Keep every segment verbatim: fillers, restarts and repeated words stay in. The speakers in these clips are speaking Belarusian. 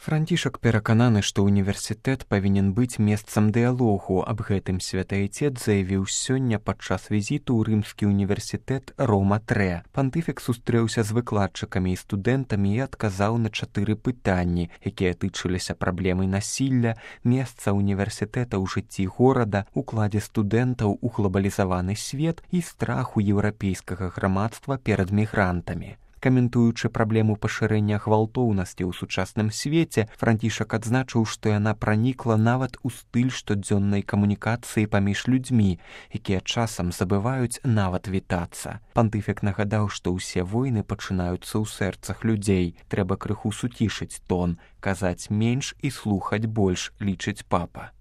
Францішак перакананы, што універсітэт павінен быць месцам дыялогу. Аб гэтым святы айцец заявіў сёння падчас візіту ў рымскі універсітэт Рома тры. Пантыфік сустрэўся з выкладчыкамі і студэнтамі і адказаў на чатыры пытанні, якія тычыліся праблемы насілля, месца універсітэта ў жыцці горада, укладзе студэнтаў у глобалізаваны свет і страху еўрапейскага грамадства перад мігрантамі. Каментуючы праблему пашырэння гвалтоўнасці ў сучасным свеце, Францішак адзначыў, што яна пранікла нават у стыль штодзённай камунікацыі паміж людзьмі, якія часам забываюць нават вітацца. Пантыфік нагадаў, што ўсе войны пачынаюцца ў сэрцах людзей. Трэба крыху суцішыць тон, казаць менш і слухаць больш, лічыць папа.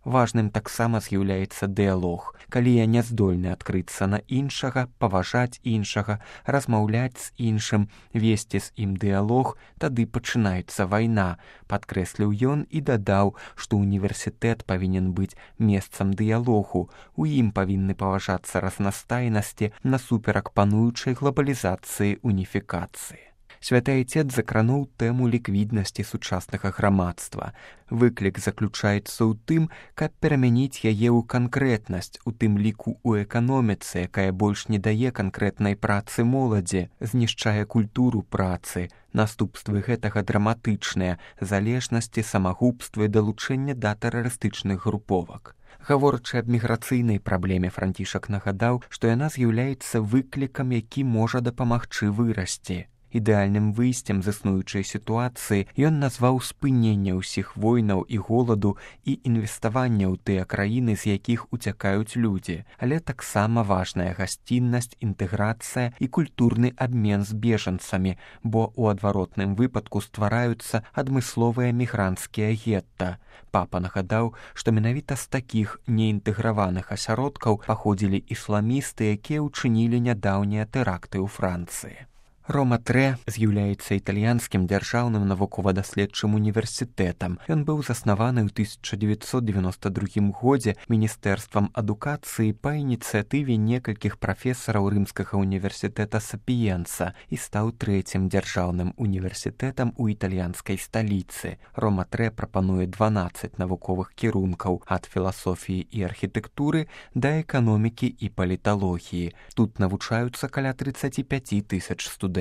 Важным таксама з'яўляецца дыялог. Калі я не здольны адкрыцца на іншага, паважаць іншага, размаўляць з іншым, весці з ім дыялог, тады пачынаецца вайна, падкрэсліў ён і дадаў, што універсітэт павінен быць месцам дыялогу. У ім павінны паважацца разнастайнасці насуперак пануючай глобалізацыі уніфікацыі. Святы айцец закрануў тэму ліквіднасці сучаснага грамадства. Выклік заключаецца ў тым, каб перамяніць яе ў канкрэтнасць, у тым ліку ў эканоміцы, якая больш не дае канкрэтнай працы моладзі, знішчае культуру працы. Наступствы гэтага драматычныя, залежнасці, самагубствы, далучэнне да тэрарыстычных груповак. Гаворачы аб міграцыйнай праблеме, Францішак нагадаў, што яна з'яўляецца выклікам, які можа дапамагчы вырасці. Ідэальным выйсцем з існуючай сітуацыі ён назваў спыненне ўсіх войнаў і голаду і інвеставання ў тыя краіны, з якіх уцякаюць людзі, але таксама важная гасціннасць, інтэграцыя і культурны абмен з бежанцамі, бо ў адваротным выпадку ствараюцца адмысловыя мігранцкія гетта. Папа нагадаў, што менавіта з такіх неінтэграваных асяродкаў паходзілі ісламісты, якія ўчынілі нядаўнія тэракты ў Францыі. Рома тры з'яўляецца італьянскім дзяржаўным навукова-даследчым універсітэтам. Ён быў заснаваны ў тысяча дзевяцьсот дзевяноста другім годзе міністэрствам адукацыі па ініцыятыве некалькіх прафесараў рымскага універсітэта Сапіенца і стаў трэцім дзяржаўным універсітэтам у італьянскай сталіцы. Рома тры прапануе дванаццаць навуковых кірункаў ад філасофіі і архітэктуры да эканомікі і паліталогіі. Тут навучаюцца каля трыццаць пяць тысяч студэнтаў.